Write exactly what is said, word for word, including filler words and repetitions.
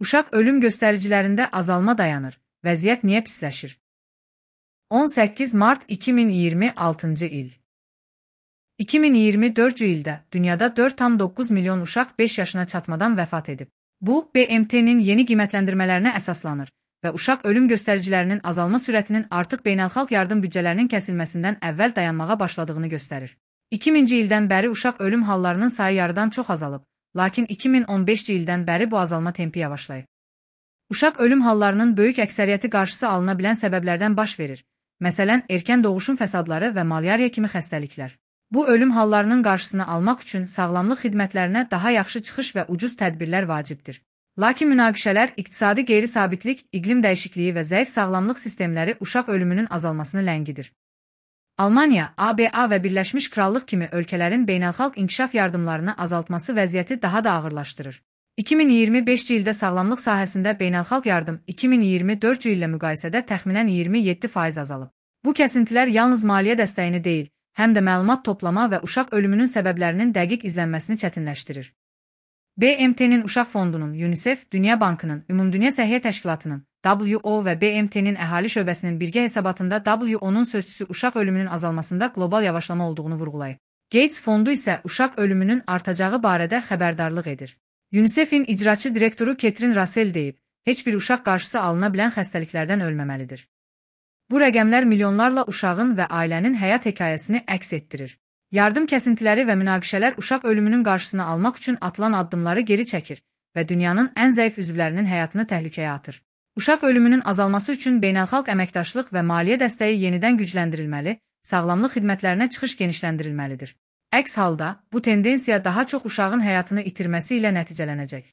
Uşaq ölüm göstəricilərində azalma dayanır. Vəziyyət niyə pisləşir? on səkkiz mart iki min iyirmi altıncı il. iki min iyirmi dördüncü ildə dünyada dörd tam doqquz milyon uşaq beş yaşına çatmadan vəfat edib. Bu, B M T-nin yeni qiymətləndirmələrinə əsaslanır və uşaq ölüm göstəricilərinin azalma sürətinin artıq beynəlxalq yardım büdcələrinin kəsilməsindən əvvəl dayanmağa başladığını göstərir. iki minci ildən bəri uşaq ölüm hallarının sayı yarıdan çox azalıb, lakin iki min on beşinci ildən bəri bu azalma tempi yavaşlayıb. Uşaq ölüm hallarının böyük əksəriyyəti qarşısı alına bilən səbəblərdən baş verir. Məsələn, erkən doğuşun fəsadları və malyariya kimi xəstəliklər. Bu ölüm hallarının qarşısını almaq üçün sağlamlıq xidmətlərinə daha yaxşı çıxış və ucuz tədbirlər vacibdir. Lakin münaqişələr, iqtisadi qeyri-sabitlik, iqlim dəyişikliyi və zəif sağlamlıq sistemləri uşaq ölümünün azalmasını ləngidir. Almaniya, A B A və Birləşmiş Krallıq kimi ölkələrin beynəlxalq inkişaf yardımlarını azaltması vəziyyəti daha da ağırlaşdırır. iki min iyirmi beşinci ildə sağlamlıq sahəsində beynəlxalq yardım iki min iyirmi dördüncü illə müqayisədə təxminən iyirmi yeddi faiz azalıb. Bu kəsintilər yalnız maliyyə dəstəyini deyil, həm də məlumat toplama və uşaq ölümünün səbəblərinin dəqiq izlənməsini çətinləşdirir. B M T-nin Uşaq Fondunun, UNICEF, Dünya Bankının, Ümumdünya Səhiyyə Təşkilatının, W O və B M T-nin əhali şöbəsinin birgə hesabatında W O-nun sözçüsü uşaq ölümünün azalmasında qlobal yavaşlama olduğunu vurğulayıb. Gates Fondu isə uşaq ölümünün artacağı barədə xəbərdarlıq edir. UNICEF-in icraçı direktoru Ketrin Russell deyib, heç bir uşaq qarşısı alına bilən xəstəliklərdən ölməməlidir. Bu rəqəmlər milyonlarla uşağın və ailənin həyat hekayəsini əks etdirir. Yardım kəsintiləri və münaqişələr uşaq ölümünün qarşısını almaq üçün atılan addımları geri çəkir və dünyanın ən zəif üzvlərinin həyatını təhlükəyə atır. Uşaq ölümünün azalması üçün beynəlxalq əməkdaşlıq və maliyyə dəstəyi yenidən gücləndirilməli, sağlamlıq xidmətlərinə çıxış genişləndirilməlidir. Əks halda, bu tendensiya daha çox uşağın həyatını itirməsi ilə nəticələnəcək.